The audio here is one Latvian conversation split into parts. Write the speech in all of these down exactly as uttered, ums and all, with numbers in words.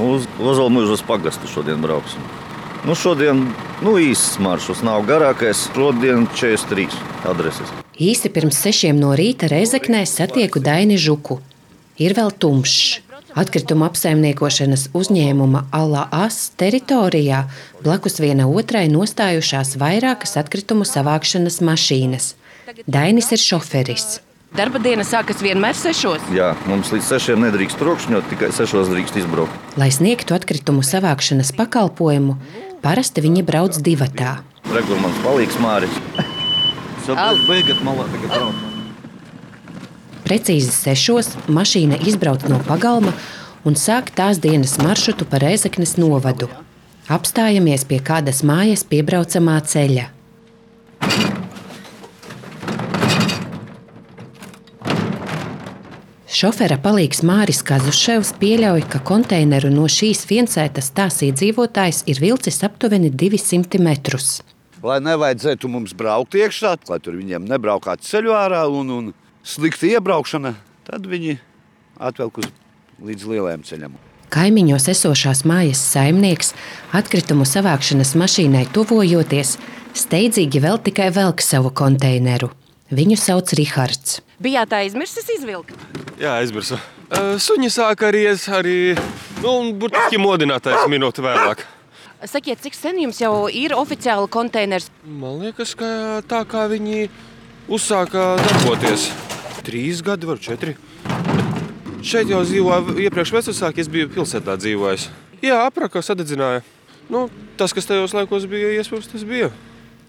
Uz Ozolmuižas pagastu šodien brauksim. Nu, šodien nu, īsts maršruts nav garākais. Šodien četrdesmit trīs adreses. Īsti pirms sešiem no rīta Rēzeknē satieku Daini Žuku. Ir vēl tumšs. Atkrituma apsaimniekošanas uzņēmuma Ala As teritorijā blakus viena otrai nostājušās vairākas atkritumu savākšanas mašīnas. Dainis ir šoferis. Darba diena sākas vienmēr sešos? Jā, mums līdz sešiem nedrīkst trokšņot, tikai sešos drīkst izbraukt. Lai sniegtu atkritumu savākšanas pakalpojumu, parasti viņi brauc divatā. Rekur mans palīgs Māris. Beigat malā tagad brauc. Precīzi sešos mašīna izbrauc no pagalma un sāk tās dienas maršrutu pa Rēzeknes novadu. Apstājamies pie kādas mājas piebraucamā ceļa. Šofera palīgs Māris Kazuševs pieļauj, ka konteineru no šīs viensētas tās iedzīvotājs ir vilcis aptuveni divsimt metrus. Lai nevajadzētu mums braukt iekšā, lai tur viņiem nebraukātu ceļu ārā un, un slikta iebraukšana, tad viņi atvelk uz līdz lielajam ceļam. Kaimiņos esošās mājas saimnieks atkritumu savākšanas mašīnai tuvojoties, steidzīgi vēl tikai velk savu konteineru. Viņu sauc Rihards. Bijāt aizmirsis izvilkt? Jā, aizmirsu. Suņi sāk aries arī, nu, un burtiski modinātais minūte vēlāk. Sakiet, cik sen jums jau ir oficiāli konteiners? Man liekas, ka tā kā viņi uzsāka darboties. Trīs gadi, var četri. Šeit jau dzīvoju iepriekš vecāki, es biju pilsētā dzīvojis. Jā, apraka sadedzināja. Nu, tas, kas tajos laikos bija, iespējams, tas bija.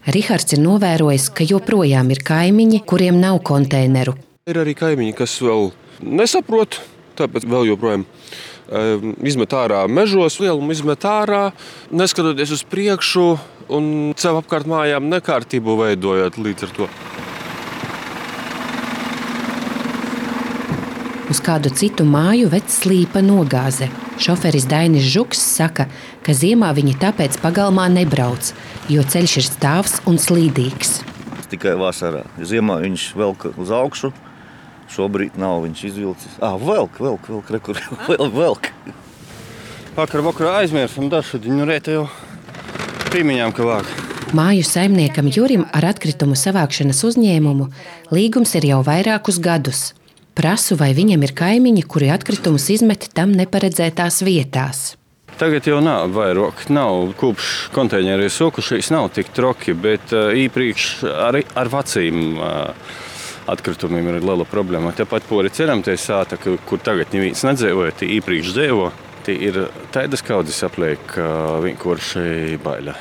Rihards ir novērojis, ka joprojām ir kaimiņi, kuriem nav konteineru. Ir arī kaimiņi, kas vēl nesaprot, tāpēc vēl joprojām izmet ārā mežos, lielumu izmet ārā, neskatoties uz priekšu un sev apkārt mājām nekārtību veidojot līdz ar to. Uz kādu citu māju ved slīpa nogāze. Šoferis Dainis Žuks saka, ka ziemā viņi tāpēc pagalmā nebrauc, jo ceļš ir stāvs un slīdīgs. Tikai vasarā. Ziemā viņš velk uz augšu, šobrīd nav viņš izvilcis. Ah, velk, velk, velk, rekur, velk, velk. Vakar vakarā aizmirsam dažu diņu rēta jau pīmiņām, ka vāk. Māju saimniekam Jurim ar atkritumu savākšanas uzņēmumu līgums ir jau vairākus gadus. Prasu, vai viņam ir kaimiņi, kuri atkritumus izmet tam neparedzētās vietās. Tagad jau nav vairāk, nav kopš konteiņeri sokušies, nav tik troki, bet īpriekš arī ar vecīm atkritumiem ir liela problēma. Tāpat pori ceram, tie sāta, kur tagad neviens nedzīvoja, tie īpriekš dzīvo, tie ir tādas kaudzes apliek vienkārši baila.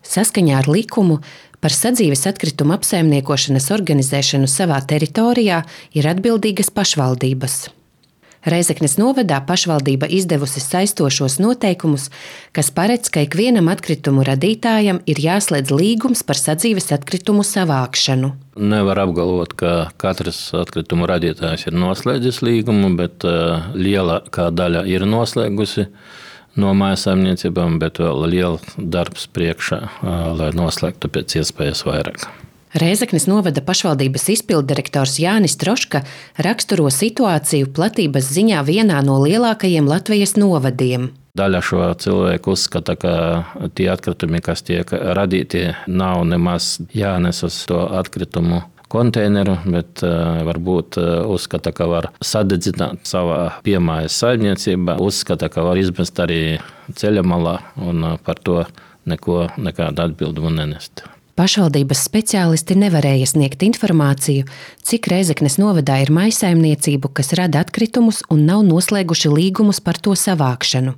Saskaņā ar likumu par sadzīves atkritumu apsaimniekošanas organizēšanu savā teritorijā ir atbildīgas pašvaldības. Rēzeknes novadā pašvaldība izdevusi saistošos noteikumus, kas paredz, ka ikvienam atkritumu radītājam ir jāslēdz līgums par sadzīves atkritumu savākšanu. Nevar apgalvot, ka katrs atkritumu radītājs ir noslēdzis līgumu, bet lielākā daļa ir noslēgusi no mājsaimniecībām, bet vēl liela darbs priekšā, lai noslēgtu pēc iespējas vairāk. Rēzeknes novada pašvaldības izpilddirektors Jānis Troška raksturo situāciju platības ziņā vienā no lielākajiem Latvijas novadiem. Daļa šo cilvēku uzskata, ka tie atkritumi, kas tiek radīti, nav nemaz jānes uz to atkritumu konteineru, bet uh, varbūt uh, uzskata, ka var sadedzināt savā piemājas saimniecībā, uzskata, ka var izmest arī ceļa malā un uh, par to neko, nekādu atbildumu nenest. Pašvaldības speciālisti nevarēja sniegt informāciju, cik Rēzeknes novadā ir mājsaimniecību, kas rada atkritumus un nav noslēguši līgumus par to savākšanu.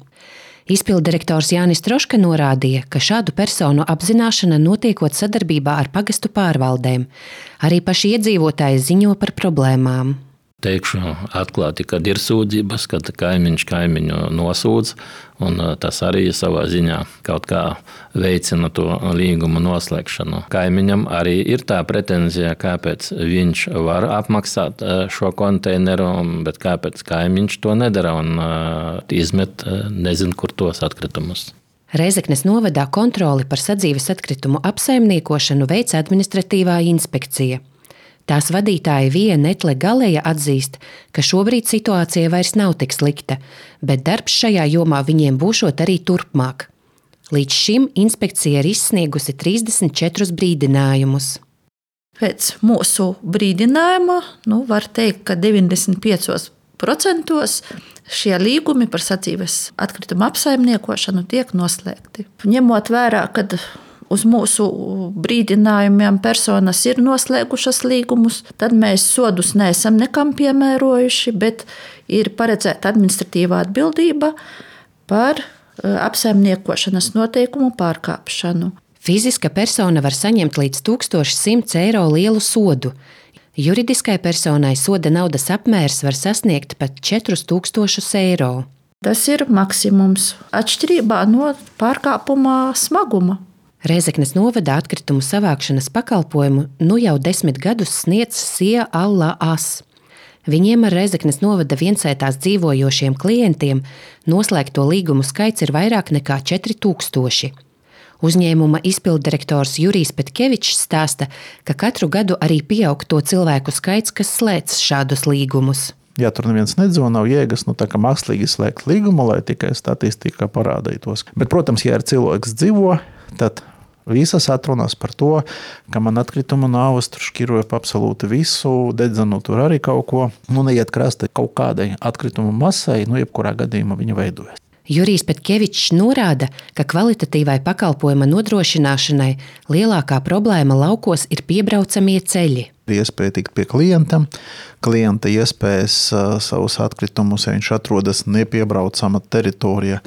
Izpilddirektors Jānis Troška norādīja, ka šādu personu apzināšana notiekot sadarbībā ar pagastu pārvaldēm. Arī paši iedzīvotāji ziņo par problēmām. Teikšu atklāti, kad ir sūdzības, kad kaimiņš kaimiņu nosūdz, un tas arī savā ziņā kaut kā veicina to līgumu noslēgšanu. Kaimiņam arī ir tā pretenzija, kāpēc viņš var apmaksāt šo konteineru, bet kāpēc kaimiņš to nedara un izmet nezin, kur tos atkritumus. Rēzeknes novadā kontroli par sadzīves atkritumu apsaimniekošanu veic administratīvā inspekcija. Tās vadītāja Vija Netle Galēja atzīst, ka šobrīd situācija vairs nav tik slikta, bet darbs šajā jomā viņiem būšot arī turpmāk. Līdz šim inspekcija ir izsniegusi trīsdesmit četrus brīdinājumus. Pēc mūsu brīdinājuma, nu, var teikt, ka deviņdesmit piecos procentos šie līgumi par sadzīves atkritumu apsaimniekošanu tiek noslēgti. Ņemot vērā, kad uz mūsu brīdinājumiem personas ir noslēgušas līgumus, tad mēs sodus neesam nekam piemērojuši, bet ir paredzēta administratīvā atbildība par apsaimniekošanas noteikumu pārkāpšanu. Fiziska persona var saņemt līdz tūkstoš simts eiro lielu sodu. Juridiskai personai soda naudas apmērs var sasniegt pat četrus tūkstošus eiro. Tas ir maksimums atšķirībā no pārkāpuma smaguma. Rēzeknes novada atkritumu savākšanas pakalpojumu nu jau desmit gadus sniedz Sija Alla As. Viņiem ar Rēzeknes novada viensētās dzīvojošiem klientiem noslēgto līgumu skaits ir vairāk nekā četri tūkstoši. Uzņēmuma izpilddirektors Jurijs Petkevičs stāsta, ka katru gadu arī pieaug to cilvēku skaits, kas slēdz šādus līgumus. Ja tur neviens nedzīvo, nav jēgas nu, mākslīgi slēgt līgumu, lai tikai statistika parādītos. Bet, protams, ja ir cilvēks dzīvo, tad visas atrunas par to, ka man atkritumu nāvas tur šķiroja pa absolūti visu, dedzenu tur arī kaut ko, nu neiet krasta kaut kādai atkritumu masai, nu jebkurā gadījumā viņa veidojas. Jurijs Petkevičs norāda, ka kvalitatīvai pakalpojuma nodrošināšanai lielākā problēma laukos ir piebraucamie ceļi. Iespēja tikt pie klientam, klienta iespējas savus atkritumus, ja viņš atrodas nepiebraucama teritorija,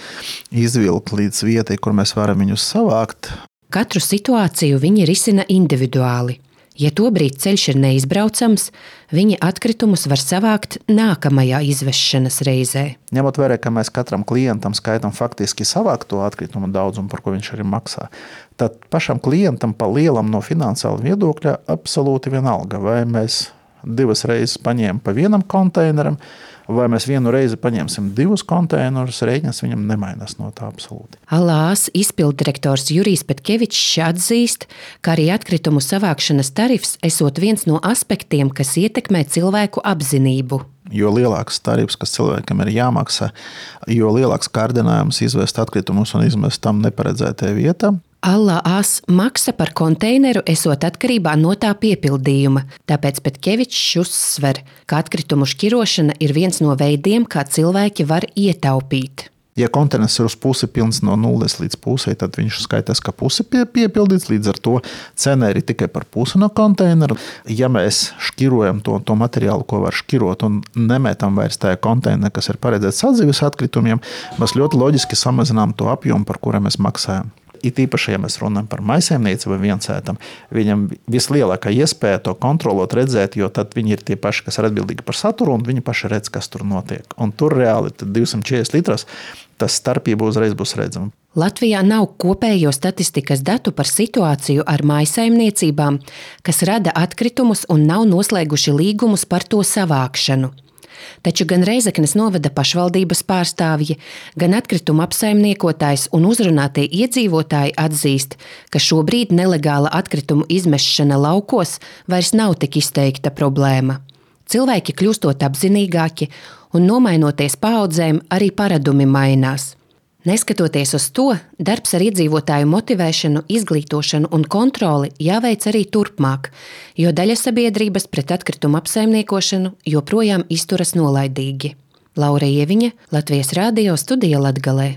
izvilkt līdz vietai, kur mēs varam viņus savākt. Katru situāciju viņi risina individuāli. Ja tobrīd ceļš ir neizbraucams, viņi atkritumus var savākt nākamajā izvešanas reizē. Ņemot vērā, ka mēs katram klientam skaitam faktiski savākto atkritumu daudzumu, par ko viņš arī maksā, tad pašam klientam pa lielam no finansiāla viedokļa absolūti vienalga, vai mēs divas reizes paņēmam pa vienam konteineram, vai mēs vienu reizi paņemsim divus konteinerus, rēķins viņam nemainās no tā absolūti. Alās izpilddirektors Jurijs Petkevičs atzīst, ka arī atkritumu savākšanas tarifs esot viens no aspektiem, kas ietekmē cilvēku apzinību. Jo lielāks tarifs, kas cilvēkam ir jāmaksā, jo lielāks kārdinājums izvest atkritumus un izmest tam neparedzētajā vietā. Alās maksa par konteineru esot atkarībā no tā piepildījuma, tāpēc Petkevičs uzsver, ka atkritumu šķirošana ir viens no veidiem, kā cilvēki var ietaupīt. Ja konteiners ir uz pusi pilns no nulles līdz pusei, tad viņš skaitās, ka pusi pie, piepildīts, līdz ar to cena ir tikai par pusi no konteineru. Ja mēs šķirojam to, to materiālu, ko var šķirot un nemetam vairs tajā konteinerā, kas ir paredzēts sadzīves atkritumiem, mēs ļoti loģiski samazinām to apjomu, par kuru mēs maksājam. It īpaši, ja mēs runājam par maisaimnieci vai viensētam, viņam vislielākā iespēja to kontrolot, redzēt, jo tad viņi ir tie paši, kas ir atbildīgi par saturu, un viņi paši redz, kas tur notiek. Un tur reāli divsimt četrdesmit litros tas starpība uzreiz būs redzama. Latvijā nav kopējo statistikas datu par situāciju ar maisaimniecībām, kas rada atkritumus un nav noslēguši līgumus par to savākšanu. Taču gan Rēzeknes novada pašvaldības pārstāvji, gan atkritumu apsaimniekotājs un uzrunātie iedzīvotāji atzīst, ka šobrīd nelegāla atkritumu izmešana laukos vairs nav tik izteikta problēma. Cilvēki kļūstot apzinīgāki un nomainoties paaudzēm, arī paradumi mainās. Neskatoties uz to, darbs ar iedzīvotāju motivēšanu, izglītošanu un kontroli jāveic arī turpmāk, jo daļa sabiedrības pret atkritumu apsaimniekošanu joprojām izturas nolaidīgi. Laura Ieviņa, Latvijas Rādio studija Latgalē.